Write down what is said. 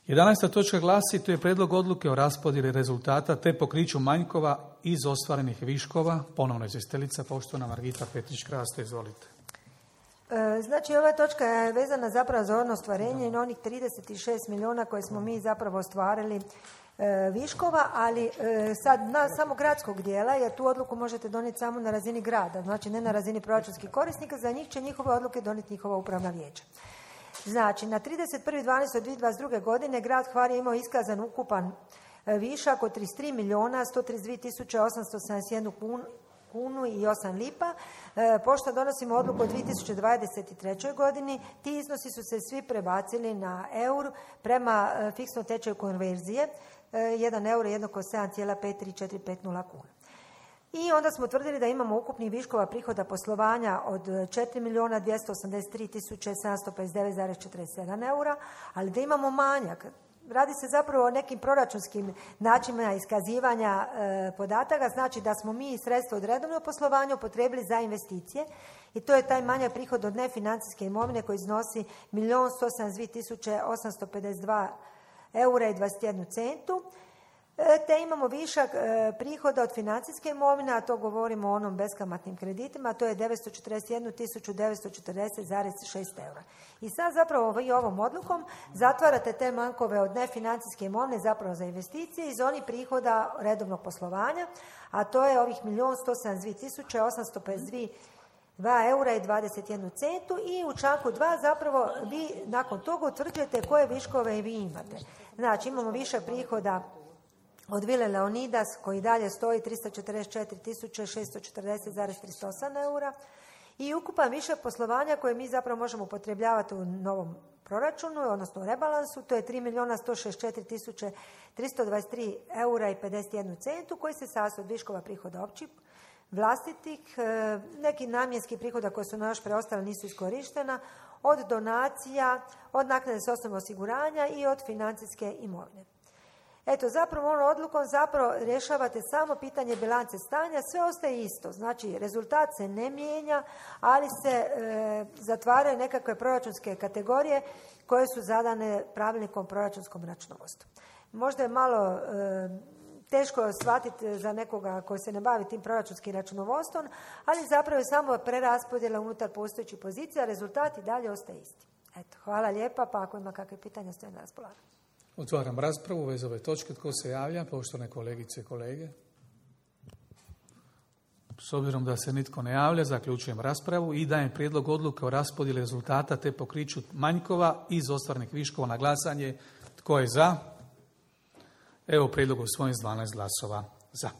11. točka glasi, to je prijedlog odluke o raspodjeli rezultata te pokriću manjkova iz ostvarenih viškova. Ponovno izvjestiteljica, poštovana Margita Petrić-Krasto, izvolite. Znači, ova točka je vezana zapravo za ono ostvarenje i na onih 36 milijuna koje smo mi zapravo ostvarili viškova, ali sad na samo gradskog dijela, jer tu odluku možete donijeti samo na razini grada, znači ne na razini proračunskih korisnika, za njih će njihove odluke donijeti njihova upravna vijeća. Znači, na 31.12.2022. godine grad Hvar je imao iskazan ukupan višak od 33 milijuna 132 tisuće 871 kunu i 8 lipa. Pošto donosimo odluku o 2023. godini, ti iznosi su se svi prebacili na eur prema fiksnom tečaju konverzije. 1 euro jednako 7,53450 kuna. I onda smo tvrdili da imamo ukupnih viškova prihoda poslovanja od 4 milijuna 283 tisuće 759,47 eura, ali da imamo manjak. Radi se zapravo o nekim proračunskim načinima iskazivanja podataka, znači da smo mi sredstva od redovnog poslovanja upotrijebili za investicije i to je taj manjak prihod od nefinancijske imovine koji iznosi 1.172.852 eura i 21 centu. Te imamo višak prihoda od financijske imovine, a to govorimo o onom beskamatnim kreditima, to je 941.940,6 eura. I sad zapravo vi ovom odlukom zatvarate te manjkove od nefinancijske imovine zapravo za investicije iz onih prihoda redovnog poslovanja, a to je ovih 1.172.852 eura i 21 centu i u članku 2 zapravo vi nakon toga utvrđujete koje viškove vi imate. Znači imamo višak prihoda od Vile Leonidas koji dalje stoji 344.640,38 eura i ukupan višak poslovanja koje mi zapravo možemo upotrebljavati u novom proračunu, odnosno u rebalansu, to je 3.164.323 eura i 51 centu koji se sastoji od viškova prihoda općih, vlastitih, nekih namjenskih prihoda koje su nam još preostale nisu iskorištena, od donacija, od naknade socijalnog osiguranja i od financijske imovine. Eto, zapravo ovom odlukom zapravo rješavate samo pitanje bilance stanja, sve ostaje isto. Znači, rezultat se ne mijenja, ali se zatvaraju nekakve proračunske kategorije koje su zadane pravilnikom proračunskom računovodstvu. Možda je malo teško shvatiti za nekoga koji se ne bavi tim proračunskim računovodstvom, ali zapravo je samo preraspodjela unutar postojećih pozicija, rezultat i dalje ostaje isti. Eto, hvala lijepa, pa ako ima kakve pitanja, stoje na raspolaganju. Otvaram raspravu bez ove točke. Tko se javlja? Poštovane kolegice i kolege. S obzirom da se nitko ne javlja, zaključujem raspravu i dajem prijedlog odluke o raspodjeli rezultata te pokriću manjkova iz ostvarenih viškova na glasanje. Tko je za? Evo prijedlog usvojen s 12 glasova za.